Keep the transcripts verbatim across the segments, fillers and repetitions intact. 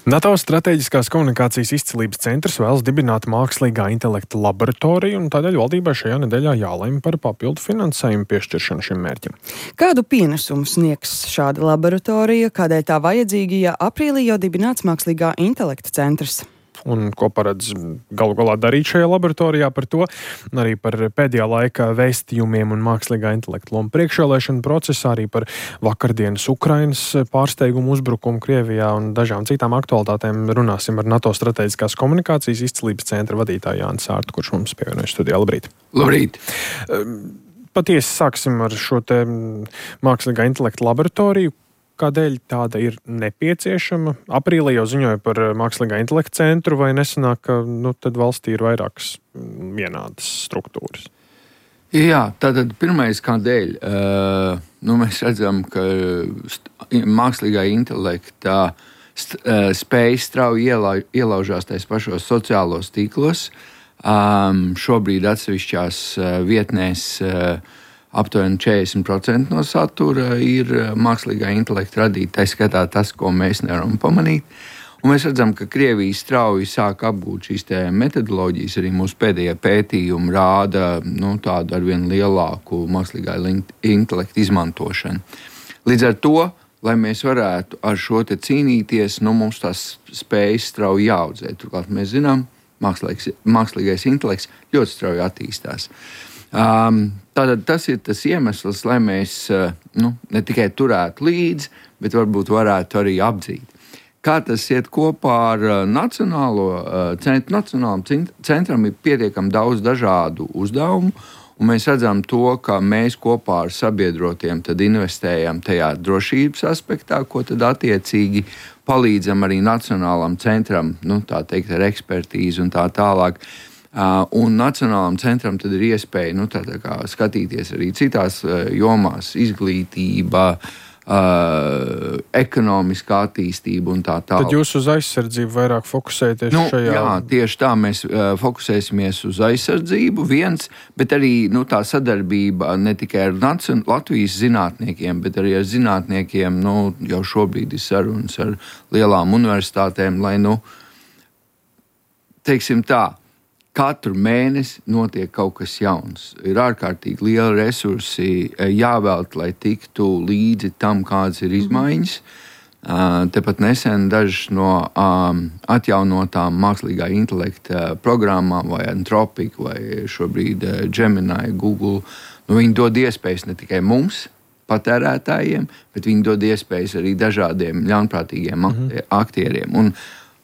NATO strateģiskās komunikācijas izcilības centrs vēlas dibināt mākslīgā intelekta laboratoriju, un tādēļ valdībai šajā nedēļā jālemj par papildu finansējumu piešķiršanu šim mērķim. Kādu pienesumu sniegs šāda laboratorija, kādēļ tā vajadzīga, ja aprīlī jau dibināts mākslīgā intelekta centrs? Un ko paredz galu galā darīt šajā laboratorijā, par to, arī par pēdējā laika vēstījumiem un mākslīgā intelekta lomu priekšvēlēšanu procesā, arī par vakardienas Ukrainas pārsteigumu uzbrukumu Krievijā un dažām citām aktualitātēm runāsim ar NATO strateģiskās komunikācijas izcilības centra vadītāju Jāni Sārtu, kurš mums pievienojas studijā. Labrīt! Labrīt! Patiesi sāksim ar šo te mākslīgā intelekta laboratoriju. Kādēļ tāda ir nepieciešama? Aprīlī jau ziņoja par mākslīgā intelekta centru, vai nesanāk, ka nu, tad valstī ir vairākas vienādas struktūras? Jā, tātad pirmais kādēļ. Uh, nu, mēs redzam, ka mākslīgā intelekta st- uh, spējas strauji iela- ielaužās tais pašos sociālos tīklos. Um, šobrīd atsevišķās uh, vietnēs uh, aptuveni četrdesmit procenti no satura ir mākslīgā intelekta radīta, tā skatā tas, ko mēs nevaram pamanīt. Un mēs redzam, ka Krievija strauji sāk apgūt šīs metodoloģijas, arī mūsu pēdējie pētījumi rāda nu, tādu arvien lielāku mākslīgā intelekta izmantošanu. Līdz ar to, lai mēs varētu ar šo te cīnīties, nu, mums tās spējas strauji jāaudzē. Turklāt mēs zinām, mākslīgais, mākslīgais intelekts ļoti strauji attīstās. Um, Tātad tas ir tas iemesls, lai mēs uh, nu, ne tikai turētu līdzi, bet varbūt varētu arī apdzīt. Kā tas iet kopā ar uh, nacionālo uh, centru? Nacionālam centram ir pietiekami daudz dažādu uzdevumu, un mēs redzam to, ka mēs kopā ar sabiedrotiem tad investējam tajā drošības aspektā, ko tad attiecīgi palīdzam arī nacionālam centram, nu, tā teikt, ar ekspertīzi un tā tālāk. Uh, un Nacionālam centram tad ir iespēja nu, tā, tā kā, skatīties arī citās uh, jomās, izglītība, uh, ekonomiskā attīstība un tā tālāk. Tad jūs uz aizsardzību vairāk fokusēties nu, šajā? Jā, tieši tā mēs uh, fokusēsimies uz aizsardzību viens, bet arī nu, tā sadarbība ne tikai ar Nacion- Latvijas zinātniekiem, bet arī ar zinātniekiem, nu, jau šobrīd ir sarunas ar lielām universitātēm, lai, nu, teiksim tā, katru mēnesi notiek kaut kas jauns. Ir ārkārtīgi lieli resursi jāvēlt, lai tiktu līdzi tam, kādas ir izmaiņas. Uh, tepat nesen dažas no um, atjaunotām mākslīgā intelekta programmām, vai Anthropic, vai šobrīd uh, Gemini, Google, nu, viņi dod iespējas ne tikai mums, patērētājiem, bet viņi dod iespējas arī dažādiem ļaunprātīgiem mm-hmm. aktieriem. Un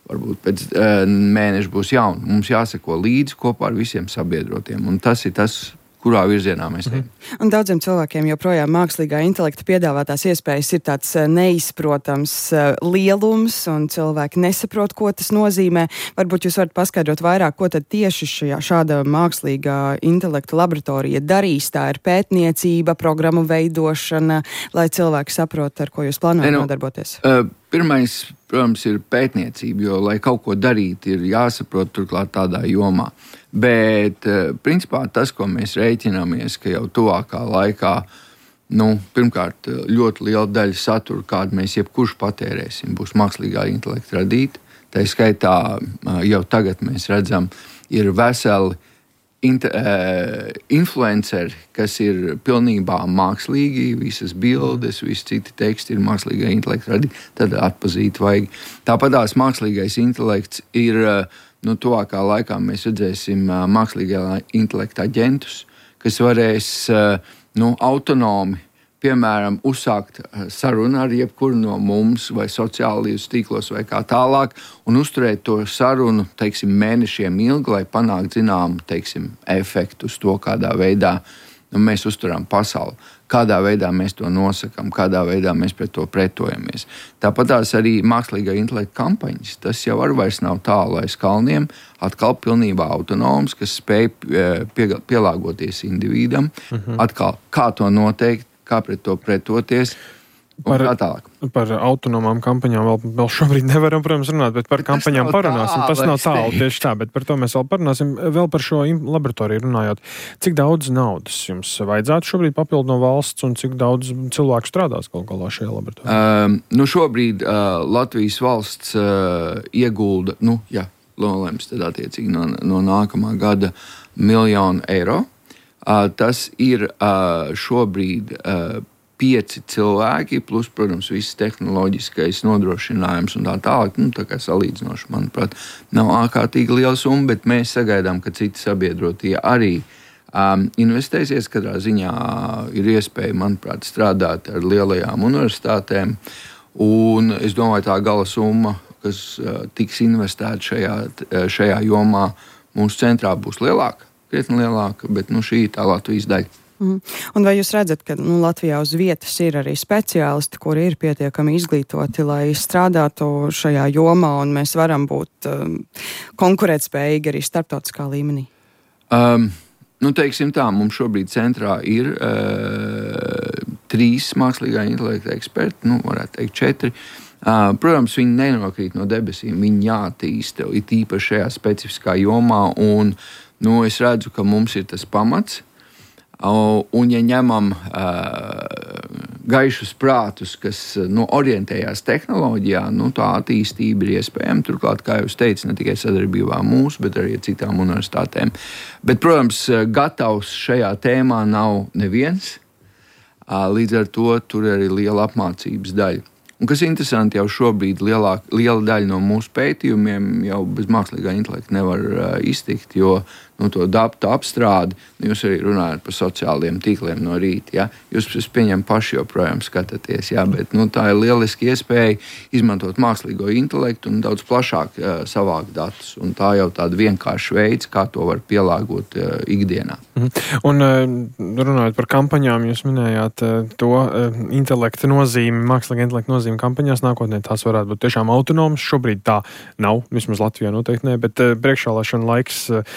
varbūt pēc uh, mēneša būs jauna. Mums jāseko līdzi kopā ar visiem sabiedrotiem. Un tas ir tas, kurā virzienā mēs ejam. Mm. Un daudziem cilvēkiem joprojām mākslīgā intelekta piedāvātās iespējas ir tāds neizprotams lielums, un cilvēki nesaprot, ko tas nozīmē. Varbūt jūs varat paskaidrot vairāk, ko tad tieši šajā, šāda mākslīgā intelekta laboratorija darīs. Tā ir pētniecība, programmu veidošana, lai cilvēki saprot, ar ko jūs plānojat nu, nodarboties. Uh, pirmais, protams, ir pētniecība, jo, lai kaut ko darīt, ir jāsaprot turklāt tādā jomā. Bet, principā, tas, ko mēs rēķinamies, ka jau tuvākā laikā, nu, pirmkārt, ļoti liela daļa satura, kādu mēs jebkurš patērēsim, būs mākslīgā intelekta radīta. Tā skaitā jau tagad mēs redzam, ir veseli Inter, uh, influenceri, kas ir pilnībā mākslīgi, visas bildes, visi citi teksti ir mākslīgā intelekta radīti, tad atpazīt vajag. Tāpatās mākslīgais intelekts ir, nu, tuvākā laikā mēs redzēsim uh, mākslīgā intelekta aģentus, kas varēs, uh, nu, autonomi, piemēram, uzsākt sarunu ar jebkuru no mums vai sociālajos tīklos vai kā tālāk un uzturēt to sarunu, teiksim, mēnešiem ilgi, lai panāktu zināmu, teiksim, efektu uz to, kādā veidā nu, mēs uzturam pasauli, kādā veidā mēs to nosakam, kādā veidā mēs pret to pretojamies. Tāpat tās arī mākslīgā intelekta kampaņas, tas jau arī vairs nav tālu aiz kalniem, atkal pilnībā autonoms, kas spēj pie, pielāgoties individam, uh-huh. atkal kā to noteikt, kā pret to pretoties. Par, par autonomām kampaņām vēl, vēl šobrīd nevaram, protams, runāt, bet par bet kampaņām parunāsim. Tas nav tālu tieši tā, bet par to mēs vēl parunāsim. Vēl par šo laboratoriju runājot. Cik daudz naudas jums vajadzētu šobrīd papildu no valsts un cik daudz cilvēku strādās kaut galā šajā laboratorijā? Uh, nu šobrīd uh, Latvijas valsts uh, iegulda, nu, jā, nolems tad attiecīgi no, no nākamā gada miljonu eiro. Uh, tas ir uh, šobrīd uh, pieci cilvēki, plus, protams, viss tehnoloģiskais nodrošinājums un tā tālāk. Nu, tā kā salīdzinoši, manuprāt, nav ārkārtīgi liela summa, bet mēs sagaidām, ka citi sabiedrotie arī um, investēsies. Katrā ziņā ir iespēja, manuprāt, strādāt ar lielajām universitātēm. Un es domāju, tā gala summa, kas uh, tiks investēta šajā, šajā jomā, mūsu centrā būs lielāka, krietni lielāka, bet nu, šī ir tā Latvijas daļa. Mm. Un vai jūs redzat, ka nu, Latvijā uz vietas ir arī speciālisti, kuri ir pietiekami izglītoti, lai strādātu šajā jomā, un mēs varam būt um, konkurētspējīgi arī starptautiskā līmenī? Um, nu, teiksim tā, mums šobrīd centrā ir uh, trīs mākslīgā intelekta eksperti, nu, varētu teikt četri. Uh, protams, viņi nenokrīt no debesīm, viņi jātīsta, it īpaši šajā specifiskā jomā, un nu, es redzu, ka mums ir tas pamats. Un, ja ņemam uh, gaišus prātus, kas nu, orientējās tehnoloģijā, nu, tā attīstība ir iespējama. Turklāt, kā jūs teicat, ne tikai sadarbībā mūsu, bet arī ar citām universitātēm. Bet, protams, gatavs šajā tēmā nav neviens. Uh, līdz ar to tur ir arī liela apmācības daļa. Un, kas interesanti, jau šobrīd lielāk, liela daļa no mūsu pētījumiem jau bez mākslīgā intelekta nevar uh, iztikt, jo nu, to datu apstrādi, nu, jūs arī runājat par sociālajiem tīkliem no rīta. Ja? Jūs, es pieņemu, paši joprojām skatāties, ja? Bet nu, tā ir lieliski iespēja izmantot mākslīgo intelektu un daudz plašāk uh, savākt datus. Un tā jau tāda vienkārša veids, kā to var pielāgot uh, ikdienā. Mhm. Un uh, runājot par kampaņām, jūs minējāt uh, to uh, intelekta nozīmi, mākslīgā intelekta nozīmi kampaņās nākotnē. Tās varētu būt tiešām autonomas. Šobrīd tā nav, vismaz Latvijā noteikti ne, bet uh, priekšvēlēšana laiks uh,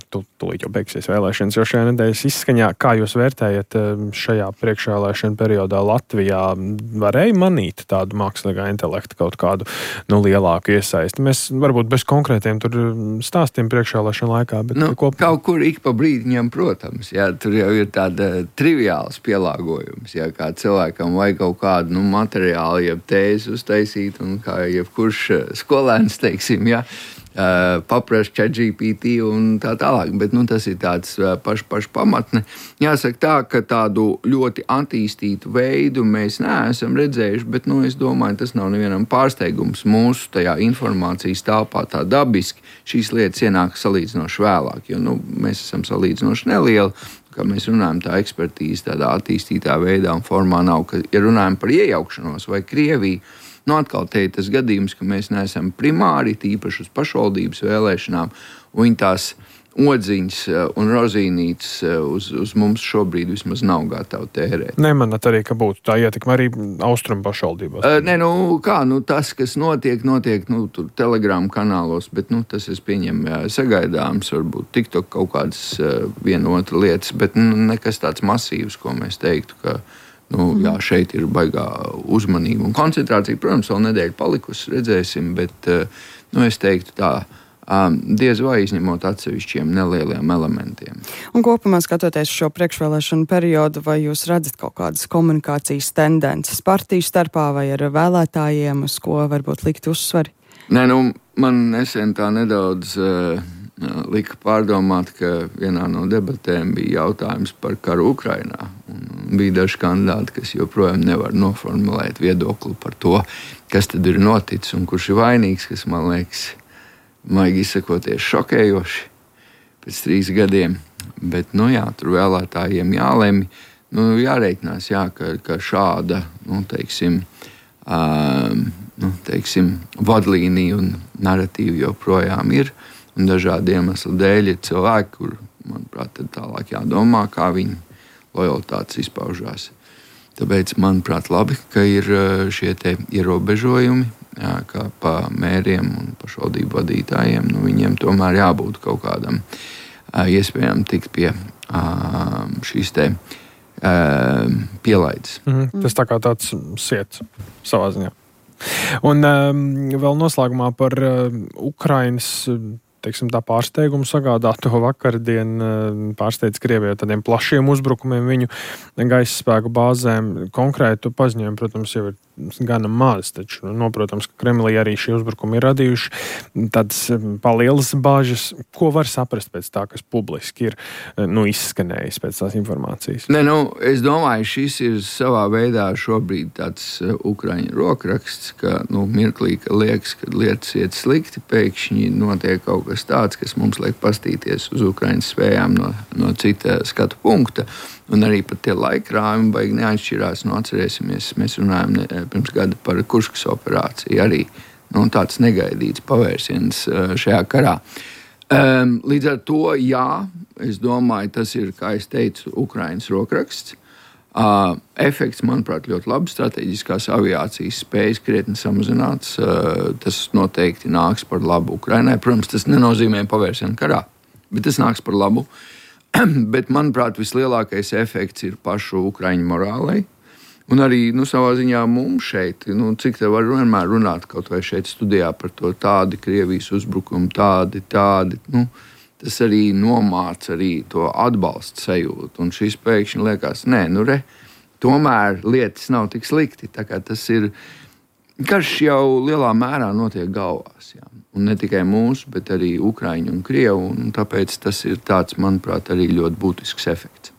Tu, tūlīt jau beigsies vēlēšanas, jo šajā nedēļas izskaņā, kā jūs vērtējat šajā priekšvēlēšana periodā Latvijā, varēja manīt tādu mākslīgā intelekta kaut kādu nu, lielāku iesaisti? Mēs varbūt bez konkrētiem tur stāstiem priekšvēlēšana laikā, bet nu, kopumā. Kaut kur ik pa brīdiņam, protams, jā, tur jau ir tāda triviāls pielāgojums, jā, kā cilvēkam vajag kaut kādu nu, materiālu, jeb tēzi uztaisīt, un kā jebkurš skolēns, teiksim, jā, Uh, paprast ChatGPT un tā tālāk, bet nu, tas ir tāds uh, paš, paš pamatne. Jāsaka tā, ka tādu ļoti attīstītu veidu mēs neesam redzējuši, bet nu, es domāju, tas nav nevienam pārsteigums. Mūsu tajā informācijas telpā tā dabiski šīs lietas ienāk salīdzinoši vēlāk, jo nu, mēs esam salīdzinoši nelieli. Kā mēs runājam, tā ekspertīze tādā attīstītā veidā un formā nav, ka, ja runājam par iejaukšanos vai Krieviju, nu, atkal te ir tas gadījums, ka mēs neesam primāri, tīpaši uz pašvaldības vēlēšanām, un viņi tās odziņas un rozīnītes uz, uz mums šobrīd vismaz nav gatavi tērēt. Nemanāt arī, ka būtu tā ietekme arī austrumu pašvaldībās? Uh, nē, nu kā, nu tas, kas notiek, notiek, nu, tur Telegram kanālos, bet, nu, tas es pieņemu sagaidāms, varbūt TikTok kaut kādas uh, viena otra lietas, bet nu, nekas tāds masīvs, ko mēs teiktu, ka Nu, jā, šeit ir baigā uzmanība un koncentrācija. Protams, vēl nedēļa palikusi, redzēsim, bet nu, es teiktu tā, diez vai izņemot atsevišķiem nelieliem elementiem. Un kopumā skatoties šo priekšvēlēšanu periodu, vai jūs redzat kaut kādas komunikācijas tendences partiju starpā vai ar vēlētājiem, uz ko varbūt likt uzsvari? Nē, nu, man nesen tā nedaudz uh, lika pārdomāt, ka vienā no debatēm bija jautājums par karu Ukrainā. Un bija daži kandidāti, kas joprojām nevar noformulēt viedokli par to, kas tad ir noticis un kurš ir vainīgs, kas man liekas, maigi izsakoties, šokējoši pēc trīs gadiem. Bet, nu jā, tur vēlētājiem jālemj, nu jāreikinās, jā, ka, ka šāda, nu teiksim, um, nu, teiksim, vadlīnija un narratīva joprojām ir. Un dažādi iemesli dēļ ir cilvēki, kur, manuprāt, tad tālāk jādomā, kā viņi lojalitātes izpaužās. Tāpēc, manuprāt, labi, ka ir šie te ierobežojumi, jā, kā pa mēriem un pašvaldību vadītājiem. Nu, viņiem tomēr jābūt kaut kādam iespējām tikt pie šīs te pielaides. Mm-hmm. Tas tā kā tāds siets savā ziņā. Un um, vēl noslēgumā par uh, Ukrainas teiksim, tā pārsteigumu sagādāto vakardien pārsteidz Krieviju tādiem plašiem uzbrukumiem viņu gaisa spēku bāzēm. Konkrētu paziņojumu, protams, jau ir gana maz, taču, nu, protams, ka Kremlī arī šie uzbrukumi ir radījuši tādas palielas bāžas. Ko var saprast pēc tā, kas publiski ir nu, izskanējis pēc tās informācijas? Ne, nu, es domāju, šis ir savā veidā šobrīd tāds Ukraiņu rokraksts, ka nu, mirklī, ka liekas, ka lietas iet slikti, pēkšņi notiek kaut kas tāds, kas mums liek pastīties uz Ukraiņas spējām no, no cita skatu punkta. Un arī pat tie laikrājumi baigi neatšķirās. Nu, atcerēsimies, mēs runājam ne, pirms gada par Kuškas operāciju. Arī nu, tāds negaidīts pavērsiens šajā karā. Um, līdz ar to, jā, es domāju, tas ir, kā es teicu, Ukrainas rokraksts. Uh, efekts, manuprāt, ļoti labi. Strateģiskās aviācijas spējas krietni samazināts. Uh, tas noteikti nāks par labu Ukrainai. Protams, tas nenozīmē pavērsienu karā, bet tas nāks par labu. Bet, manuprāt, vislielākais efekts ir pašu Ukraiņu morālei. Un arī nu, savā ziņā mums šeit, nu, cik te var vienmēr runāt kaut vai šeit studijā par to tādi Krievijas uzbrukumi, tādi, tādi. Nu, tas arī nomāca arī to atbalstu sajūtu. Un šis pēkšņi liekas, nē, nu re, tomēr lietas nav tik slikti. Tā kā tas ir, karš jau lielā mērā notiek galvās, jā. Un ne tikai mūsu, bet arī Ukraiņu un Krievu. Un tāpēc tas ir tāds, manuprāt, arī ļoti būtisks efekts.